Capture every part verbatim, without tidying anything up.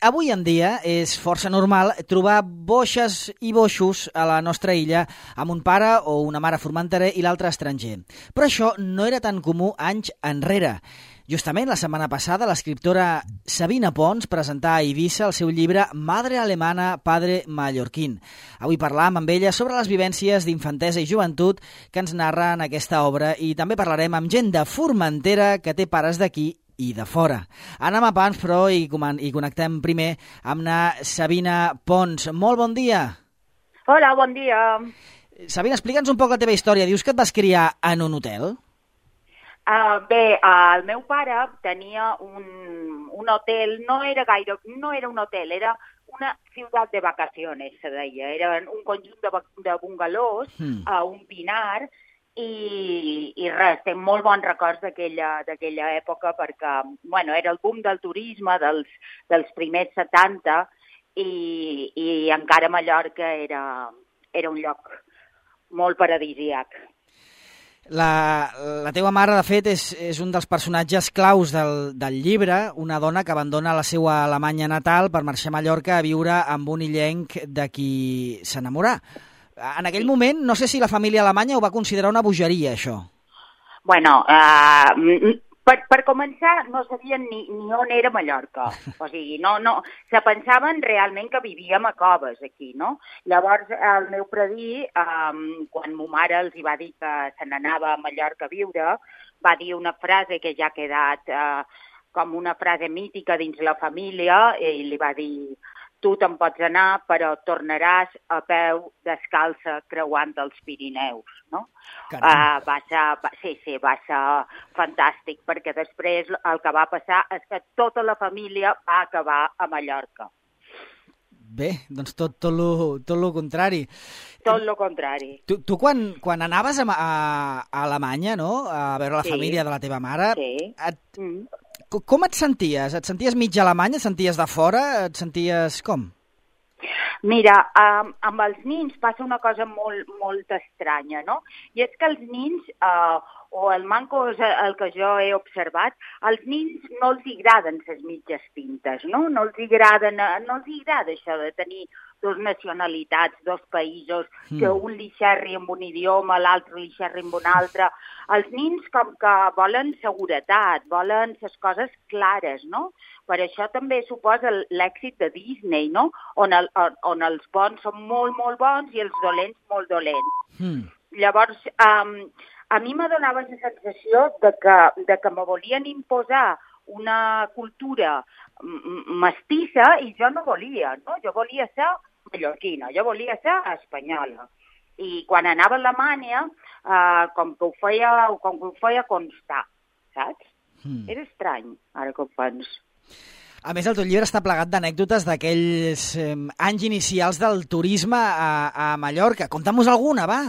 Avui en dia és força normal trobar boixes i boixos a la nostra illa amb un pare o una mare formenterer i l'altre estranger. Però això no era tan comú anys enrere. Justament la setmana passada l'escriptora Sabina Pons presentà a Eivissa el seu llibre Madre alemana, padre mallorquín. Avui parlam amb ella sobre les vivències d'infantesa i joventut que ens narra en aquesta obra i també parlarem amb gent de Formentera que té pares d'aquí i de fora. Anem a pams, però, i, i connectem primer amb na Sabina Pons. Molt bon dia. Hola, bon dia. Sabina, explica'ns un poc la teva història. Dius que et vas criar en un hotel? Uh, bé, uh, el meu pare tenia un, un hotel, no era gaire, no era un hotel, era una ciutat de vacaciones, se deia. Era un conjunt de, de bungalós, mm. a uh, un pinar, I, i res, tinc molt bons records d'aquella d'aquella època perquè, bueno, era el boom del turisme dels, dels primers setanta i, i encara Mallorca era, era un lloc molt paradisíac. La, la teva mare, de fet, és, és un dels personatges claus del, del llibre, una dona que abandona la seva Alemanya natal per marxar a Mallorca a viure amb un illenc de qui s'enamorà. En aquell moment, no sé si la família alemanya ho va considerar una bogeria, això. Bueno, uh, per, per començar, no sabien ni, ni on era Mallorca. O sigui, no, no, se pensaven realment que vivíem a coves aquí, no? Llavors, el meu predí, um, quan ma mare els hi va dir que se n'anava a Mallorca a viure, va dir una frase que ja ha quedat uh, com una frase mítica dins la família, i li va dir: tu te'n pots anar, però tornaràs a peu descalça creuant els Pirineus, no? Uh, va ser, va, sí, sí, va ser fantàstic, perquè després el que va passar és que tota la família va acabar a Mallorca. Bé, doncs tot, tot, lo, tot lo contrari. Tot lo contrari. Tu, tu quan, quan anaves a, a, a Alemanya, no?, a veure la sí. família de la teva mare, sí. et, mm. com et senties? Et senties mig alemany? Et senties de fora? Et senties com? Mira, um, amb els nins passa una cosa molt, molt estranya, no? I és que els nins, uh, o el manco és el que jo he observat, als nins no els agraden les mitges pintes, no? No els agraden, no els agrada això de tenir dos nacionalitats, dos països, mm. que un li xerri amb un idioma, l'altre li xerri amb un altre. Els nins com que volen seguretat, volen les coses clares, no? Per això també suposa l'èxit de Disney, no? On, el, on, on els bons són molt, molt bons i els dolents molt dolents. Mm. Llavors, um, a mi me donava la sensació de que, de que me volien imposar una cultura mestissa i jo no volia, no? Jo volia ser mallorquina, jo volia ser espanyola. I quan anava a Alemanya, uh, com que ho feia, com que ho feia constar, saps? Mm. Era estrany, ara que ho penso. A més, el teu llibre està plegat d'anècdotes d'aquells eh, anys inicials del turisme a, a Mallorca. Conta'm-nos alguna, va!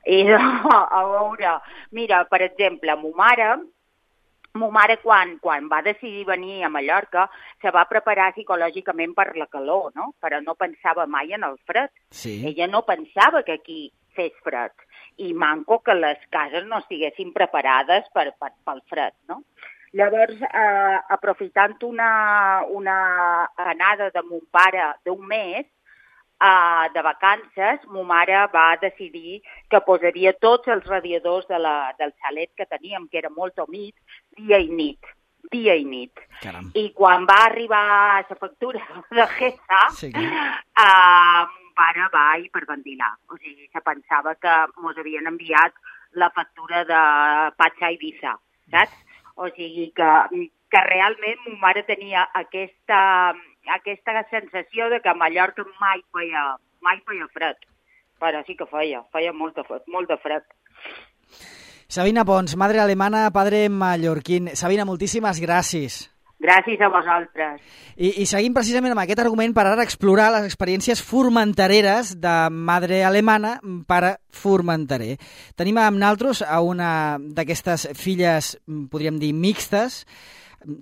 I no, a veure, mira, per exemple, ma mare, ma mare quan, quan va decidir venir a Mallorca se va preparar psicològicament per la calor, no? Però no pensava mai en el fred. Sí. Ella no pensava que aquí fes fred. I manco que les cases no estiguessin preparades per, per, pel fred, no? Llavors, eh, aprofitant una, una anada de mon pare d'un mes, eh, de vacances, ma mare va decidir que posaria tots els radiadors de la, del xalet que teníem, que era molt humit, dia i nit, dia i nit. Caram. I quan va arribar la factura de Gesa, sí. eh, mon pare va hiperventilar. O sigui, se pensava que mos havien enviat la factura de Patxa Eivissa, saps? O sigui que, que realment ma mare tenia aquesta, aquesta sensació de que a Mallorca mai feia, mai feia fred. Però sí que feia, feia molt de, molt de fred. Sabina Pons, madre alemana, padre mallorquín. Sabina, moltíssimes gràcies. Gràcies a vosaltres. I, I seguim precisament amb aquest argument per ara explorar les experiències formentereres de madre alemana, pare formenterer. Tenim amb naltros a una d'aquestes filles, podríem dir, mixtes.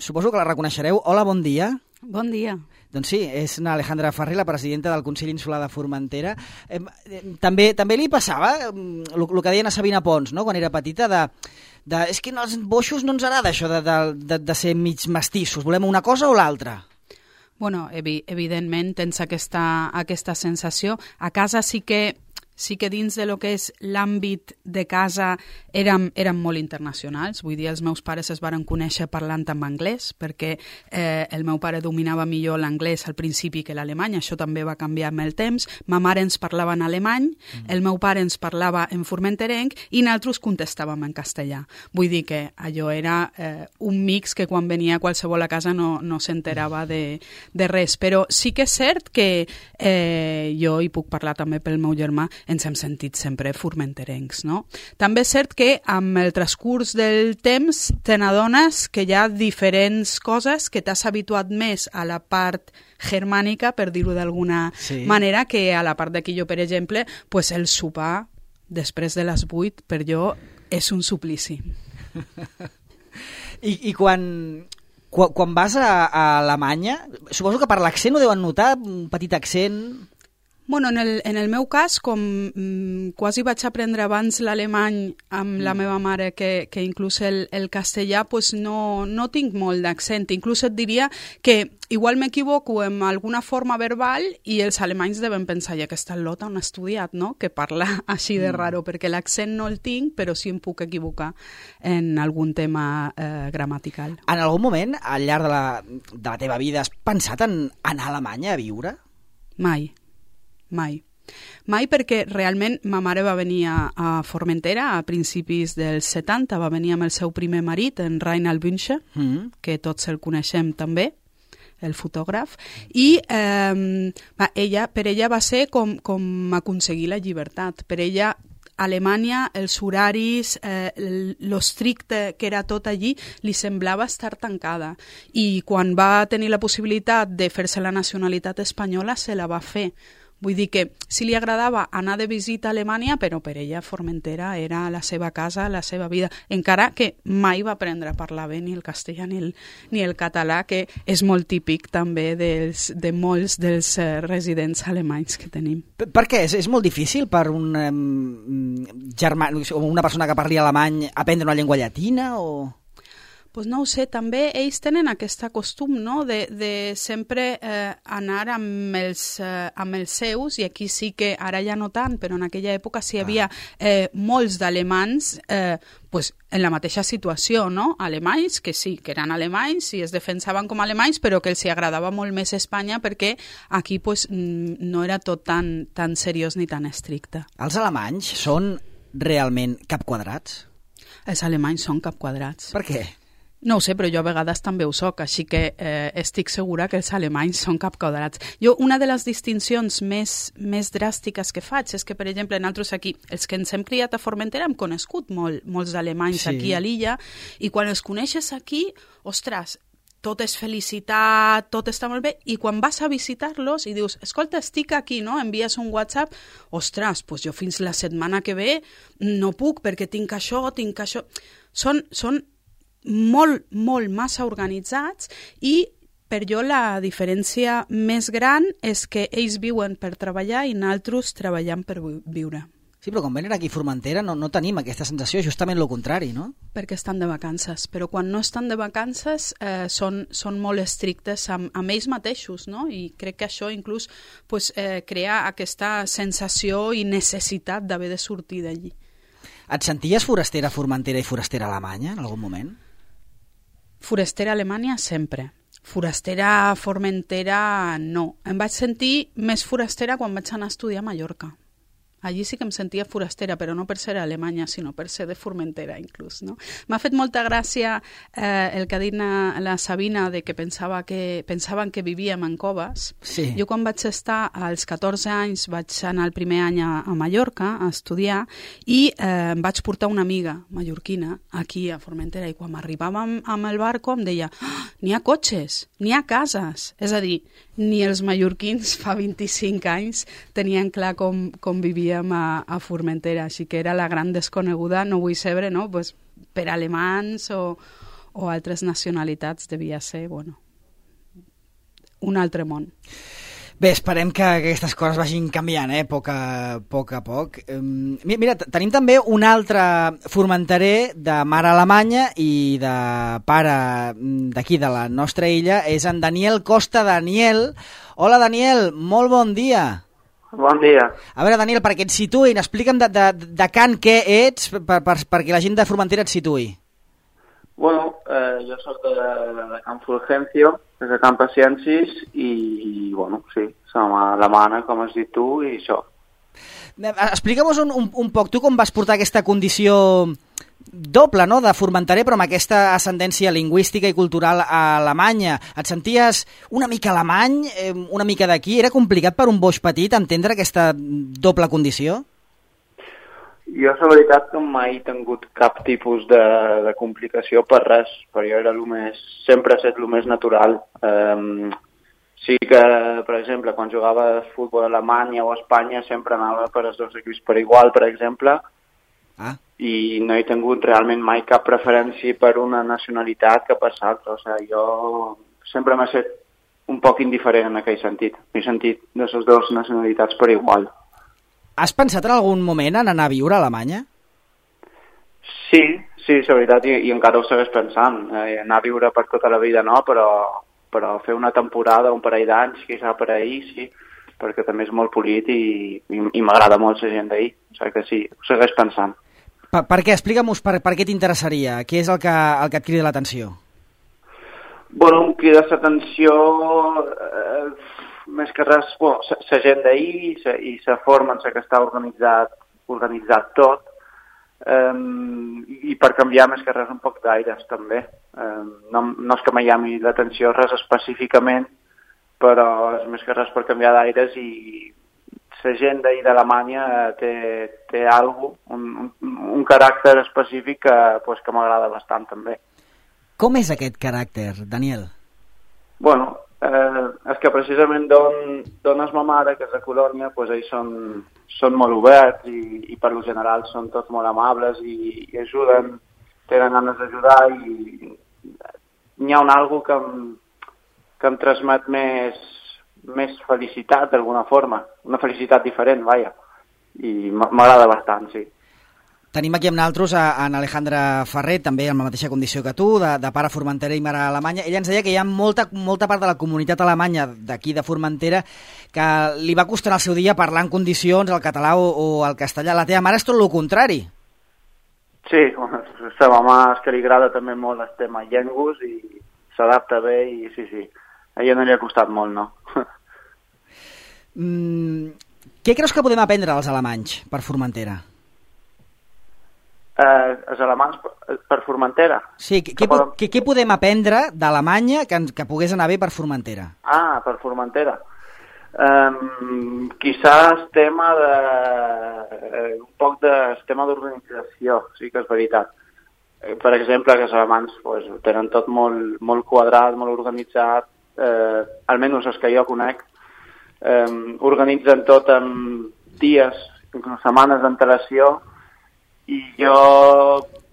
Suposo que la reconeixereu. Hola, bon dia. Bon dia. Doncs sí, és una Alejandra Farré, la presidenta del Consell Insular de Formentera. Eh, també, també li passava el, el que deien a Sabina Pons, no?, quan era petita, de, de és que als boixos no ens agrada això de, de, de, de ser mig mestissos, volem una cosa o l'altra. Bueno, evi evidentment tens aquesta, aquesta sensació. A casa sí que sí que dins de lo que és l'àmbit de casa érem, érem molt internacionals. Vull dir, els meus pares es varen conèixer parlant en anglès, perquè eh, el meu pare dominava millor l'anglès al principi que l'alemany, això també va canviar amb el temps. Ma mare ens parlava en alemany, mm. el meu pare ens parlava en formenterenc i nosaltres contestàvem en castellà. Vull dir que allò era eh, un mix que quan venia qualsevol a casa no, no s'enterava de, de res. Però sí que és cert que eh, jo hi puc parlar també pel meu germà, ens hem sentit sempre formenterencs, no? També és cert que amb el transcurs del temps te n'adones que hi ha diferents coses que t'has habituat més a la part germànica, per dir-ho d'alguna sí. manera, que a la part d'aquí jo, per exemple, pues el sopar després de les vuit per jo és un suplici. I, i quan... Quan, quan vas a, a Alemanya, suposo que per l'accent ho deuen notar, un petit accent... Bueno, en el, en el meu cas, com mm, quasi vaig aprendre abans l'alemany amb mm. la meva mare que, que inclús el, el castellà, pues no, no tinc molt d'accent. Inclús et diria que igual m'equivoco en alguna forma verbal i els alemanys deuen pensar, ja que està lota on ha estudiat, no? Que parla així de mm. raro, perquè l'accent no el tinc, però sí em puc equivocar en algun tema eh, gramatical. En algun moment, al llarg de la, de la teva vida, has pensat en anar a Alemanya a viure? Mai. Mai. Mai perquè realment ma mare va venir a, a Formentera a principis dels setanta, va venir amb el seu primer marit, en Reinhard Bünsche, mm. que tots el coneixem també, el fotògraf, i eh, va, ella, per ella va ser com, com aconseguir la llibertat. Per ella Alemanya, els horaris, eh, lo estricte que era tot allí, li semblava estar tancada. I quan va tenir la possibilitat de fer-se la nacionalitat espanyola, se la va fer. Vull dir que sí li agradava anar de visita a Alemanya, però per ella Formentera era la seva casa, la seva vida, encara que mai va aprendre a parlar bé ni el castellà ni el, ni el català, que és molt típic també dels, de molts dels uh, residents alemanys que tenim. Per, per què? És, és molt difícil per un um, germà, una persona que parli alemany aprendre una llengua llatina o...? Pues no ho sé, també ells tenen aquest costum, no?, de, de sempre eh, anar amb els, eh, amb els seus, i aquí sí que, ara ja no tant, però en aquella època sí hi havia eh, molts d'alemans eh, pues, en la mateixa situació, no?, alemanys, que sí, que eren alemanys i es defensaven com a alemanys, però que els hi agradava molt més Espanya perquè aquí pues, no era tot tan, tan seriós ni tan estricte. Els alemanys són realment capquadrats? Els alemanys són capquadrats. Per què? No ho sé, però jo a vegades també ho soc, així que eh, estic segura que els alemanys són capquadrats. Jo, una de les distincions més, més dràstiques que faig és que, per exemple, nosaltres aquí, els que ens hem criat a Formentera, hem conegut molt, molts alemanys sí. aquí a l'illa, i quan els coneixes aquí, ostres, tot és felicitat, tot està molt bé, i quan vas a visitar-los i dius, escolta, estic aquí, no? Envies un WhatsApp, ostres, doncs jo fins la setmana que ve no puc perquè tinc això, tinc això... Són, són molt, molt massa organitzats, i per jo la diferència més gran és que ells viuen per treballar i nosaltres treballem per viure. Sí, però quan venen aquí a Formentera no, no tenim aquesta sensació, justament el contrari, no? Perquè estan de vacances, però quan no estan de vacances eh, són, són molt estrictes amb, amb ells mateixos, no? I crec que això inclús pues, eh, crea aquesta sensació i necessitat d'haver de sortir d'allí. Et senties forastera a Formentera i forastera a Alemanya en algun moment? Forastera a Alemanya sempre. Forastera a Formentera no. Em vaig sentir més forastera quan vaig anar a estudiar a Mallorca. Allí sí que em sentia forastera, però no per ser a Alemanya, sinó per ser de Formentera, inclús, no? M'ha fet molta gràcia eh, el que ha dit la Sabina de que pensava que pensaven que vivíem en coves. Sí. Jo quan vaig estar als catorze anys vaig anar el primer any a, a Mallorca a estudiar i eh, em vaig portar una amiga mallorquina aquí a Formentera, i quan arribàvem amb el barco em deia oh, n'hi ha cotxes, n'hi ha cases. És a dir, ni els mallorquins fa vint-i-cinc anys tenien clar com, com vivíem a, a Formentera, així que era la gran desconeguda, no vull saber, no? Pues, per alemans o, o altres nacionalitats devia ser, bueno, un altre món. Bé, esperem que aquestes coses vagin canviant, eh, poc a poc. A poc. Mira, tenim també un altre formenterer de mare alemanya i de pare d'aquí, de la nostra illa, és en Daniel Costa. Daniel, hola Daniel, molt bon dia. Bon dia. A veure, Daniel, perquè et situïn, explica'm de, de, de Can què ets, per, per, perquè la gent de Formentera et situï. Bueno, eh, jo soc de, de Can Fulgencio, des de Can Paciencis, i, i bueno, sí, som alemana, com has dit tu, i això. Explica'm-nos un, un, un poc, tu com vas portar aquesta condició doble, no?, de formenterer, però amb aquesta ascendència lingüística i cultural a Alemanya. Et senties una mica alemany, una mica d'aquí? Era complicat per un boix petit entendre aquesta doble condició? Jo, la veritat, que mai he tingut cap tipus de, de complicació per res, però jo era el més, sempre he estat el més natural. Um, sí que, per exemple, quan jugava a futbol a Alemanya o a Espanya sempre anava per els dos equips per igual, per exemple, ah. i no he tingut realment mai cap preferència per una nacionalitat que per l'altra. O sigui, jo sempre m'he estat un poc indiferent en aquell sentit. M'he sentit de les dues nacionalitats per igual. Has pensat en algun moment en anar a viure a Alemanya? Sí, sí, la veritat, i, i encara ho segueix pensant. Eh, anar a viure per tota la vida no, però, però fer una temporada, un parell d'anys, quizà per ahir, sí, perquè també és molt polit i, i, i m'agrada molt la gent d'ahir. O sigui que sí, ho segueix pensant. Per, per què? Explica'm-nos per, per què t'interessaria. Què és el que, el que et crida l'atenció? Bueno, em crida l'atenció... Eh, més que res, bueno, la gent d'ahir i la forma en la que està organitzat, organitzat tot, um, i per canviar més que res un poc d'aires també. Um, no, no és que me llami l'atenció res específicament, però és més que res per canviar d'aires, i la gent d'ahir d'Alemanya té, té alguna cosa, un, un, un caràcter específic que, pues, que m'agrada bastant també. Com és aquest caràcter, Daniel? Bueno, Eh, és que precisament d'on és ma mare, que és de Colònia, pues ells són, són molt oberts i, i per lo general són tots molt amables i, i ajuden, tenen ganes d'ajudar, i n'hi ha un algo que em, que em transmet més, més felicitat d'alguna forma, una felicitat diferent, vaja, i m'agrada bastant, sí. Tenim aquí amb nosaltres a, a Alejandra Ferrer, també amb la mateixa condició que tu, de, de pare formenterer i mare alemanya. Ella ens deia que hi ha molta, molta part de la comunitat alemanya d'aquí de Formentera que li va costar el seu dia parlar en condicions el català o, o el castellà. La teva mare és tot el contrari. Sí, bueno, la mama és que li agrada també molt el tema llengües i s'adapta bé, i sí, sí, a ella no li ha costat molt, no? mm, què creus que podem aprendre als alemanys per Formentera? Eh, els alemanys per, per Formentera? Sí, què, què, podem... què, què podem aprendre d'Alemanya que, que pogués anar bé per Formentera? Ah, per Formentera. Um, quizás el tema de... Eh, un poc de el tema d'organització, sí que és veritat. Eh, per exemple, que els alemanys pues, tenen tot molt, molt quadrat, molt organitzat, eh, almenys els que jo conec, eh, organitzen tot en dies, inclús setmanes d'antelació. I jo,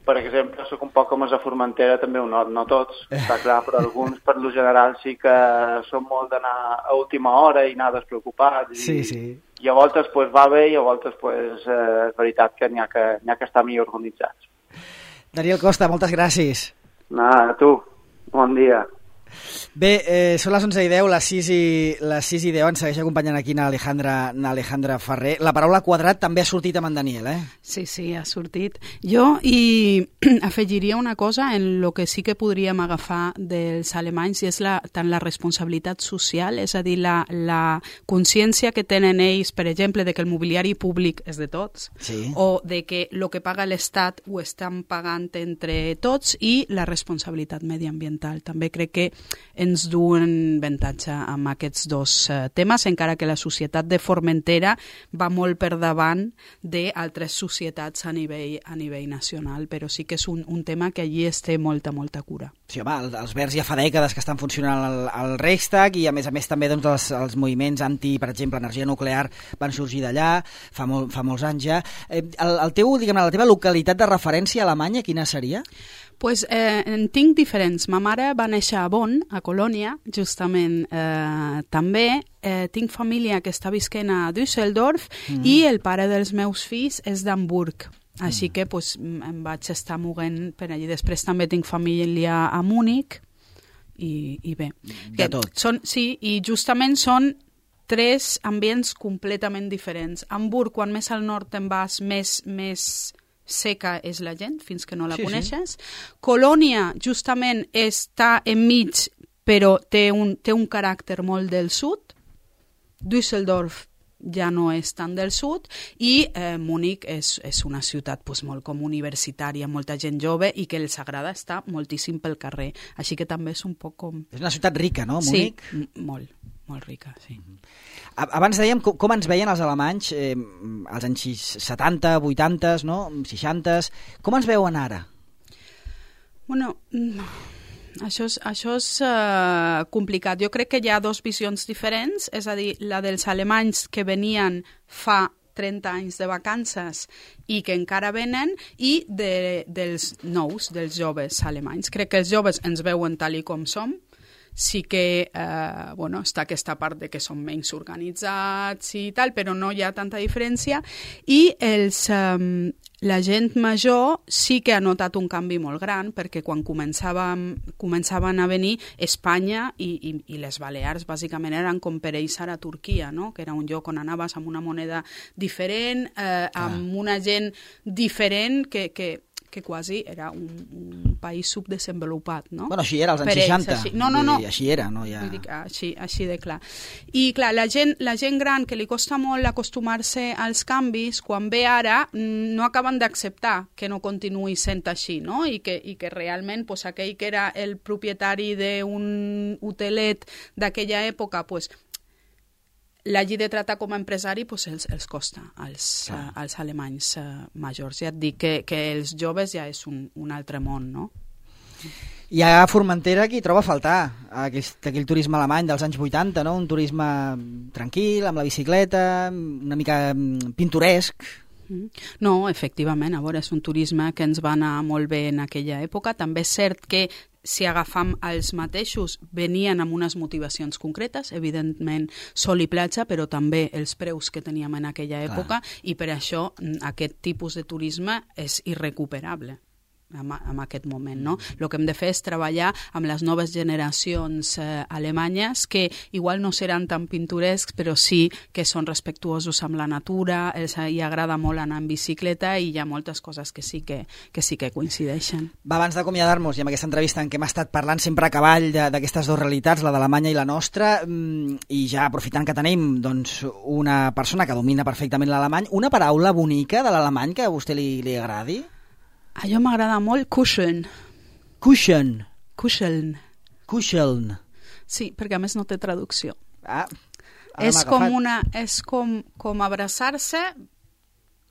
per exemple, sóc un poc com a Formentera, també ho not, no tots, està clar, però alguns, per lo general, sí que són molt d'anar a última hora i anar despreocupats. I, sí, sí. I a voltes pues, va bé i a voltes pues, eh, és veritat que n'hi ha que, n'hi ha que estar millor organitzats. Daniel Costa, moltes gràcies. A tu, bon dia. Bé, eh, són les onze i deu, les sis i, les sis i deu, ens segueix acompanyant aquí na Alejandra, na Alejandra Ferrer. La paraula quadrat també ha sortit amb en Daniel, eh? Sí, sí, ha sortit. Jo hi afegiria una cosa en lo que sí que podríem agafar dels alemanys, i és la, tant la responsabilitat social, és a dir, la, la consciència que tenen ells, per exemple, de que el mobiliari públic és de tots, sí, o de que el que paga l'Estat ho estan pagant entre tots, i la responsabilitat mediambiental. També crec que ens duen avantatge amb aquests dos uh, temes, encara que la societat de Formentera va molt per davant d'altres societats a nivell, a nivell nacional, però sí que és un, un tema que allí es té molta, molta cura. Sí, home, els Verds ja fa dècades que estan funcionant al, al Reichstag, i a més a més també doncs, els, els moviments anti, per exemple, energia nuclear van sorgir d'allà fa, molt, fa molts anys ja. Eh, el, el teu, diguem, la teva localitat de referència a Alemanya, quina seria? Pues, eh, en tinc diferents. Ma mare va néixer a Bonn, a Colònia, justament eh, també. Eh, tinc família que està visquent a Düsseldorf mm. i el pare dels meus fills és d'Hamburg. Així mm. que pues, em vaig estar moguent per allí. Després també tinc família a Múnich i, i bé. De tot. Són, sí, i justament són tres ambients completament diferents. Hamburg, quan més al nord te'n vas, més... més seca és la gent, fins que no la sí, coneixes. Sí. Colònia, justament, està enmig, però té un, té un caràcter molt del sud. Düsseldorf ja no és tant del sud i eh, Múnich és, és una ciutat pues, molt com universitària, molta gent jove i que els agrada estar moltíssim pel carrer. Així que també és un poc com... És una ciutat rica, no, Múnich? Sí, molt, molt rica, sí. Abans dèiem com, com ens veien els alemanys eh, als anys setanta, vuitanta, no? seixanta. Com ens veuen ara? Bueno, això és, això és uh, complicat. Jo crec que hi ha dos visions diferents, és a dir, la dels alemanys que venien fa trenta anys de vacances i que encara venen, i de, dels nous, dels joves alemanys. Crec que els joves ens veuen tal i com som. Sí que eh, bueno, està aquesta part de que són menys organitzats i tal, però no hi ha tanta diferència. I els, eh, la gent major sí que ha notat un canvi molt gran, perquè quan començàvem, començaven a venir Espanya i, i, i les Balears, bàsicament eren com per ells ara Turquia, no? Que era un lloc on anaves amb una moneda diferent, eh, amb una gent diferent que... que que quasi era un, un país subdesenvolupat, no? Bueno, així era als anys seixanta. Així. No, no, no. Dir, així era, no? Ja... Vull dir, així, així de clar. I, clar, la gent, la gent gran que li costa molt acostumar-se als canvis, quan ve ara, no acaben d'acceptar que no continuï sent així, no? I que, i que realment pues, aquell que era el propietari d'un hotelet d'aquella època, pues, l'hagi de tratar com a empresari pues, els, els costa als, uh, als alemanys uh, majors. Ja et dic que, que els joves ja és un, un altre món, no? Hi ha a Formentera qui troba a faltar aquell, aquell turisme alemany dels anys vuitanta, no? Un turisme tranquil, amb la bicicleta, una mica pintoresc. No, efectivament, a veure, és un turisme que ens va anar molt bé en aquella època. També és cert que si agafam els mateixos, venien amb unes motivacions concretes, evidentment sol i platja, però també els preus que teníem en aquella època, clar. I per això aquest tipus de turisme és irrecuperable en, en aquest moment, no? El que hem de fer és treballar amb les noves generacions eh, alemanyes que igual no seran tan pintorescs, però sí que són respectuosos amb la natura, els hi agrada molt anar en bicicleta i hi ha moltes coses que sí que, que, sí que coincideixen. Va, abans d'acomiadar-nos i amb aquesta entrevista en què hem estat parlant sempre a cavall d'aquestes dues realitats, la de l'Alemanya i la nostra, i ja aprofitant que tenim doncs, una persona que domina perfectament l'alemany, una paraula bonica de l'alemany que a vostè li, li agradi? A jo m'agrada molt kuscheln. Kuscheln. Kuscheln. Kuscheln. Sí, perquè a més no té traducció. Ah, és com, una, és com, com abraçar-se,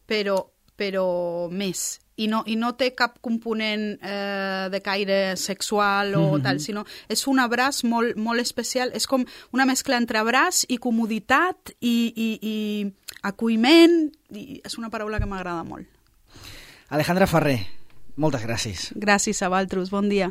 però, però més. I no, i no té cap component eh, de caire sexual o mm-hmm. tal, sinó és un abraç molt, molt especial. És com una mescla entre abraç i comoditat i, i, i acolliment. I és una paraula que m'agrada molt. Alejandra Ferrer, moltes gràcies. Gràcies a vosaltres, bon dia.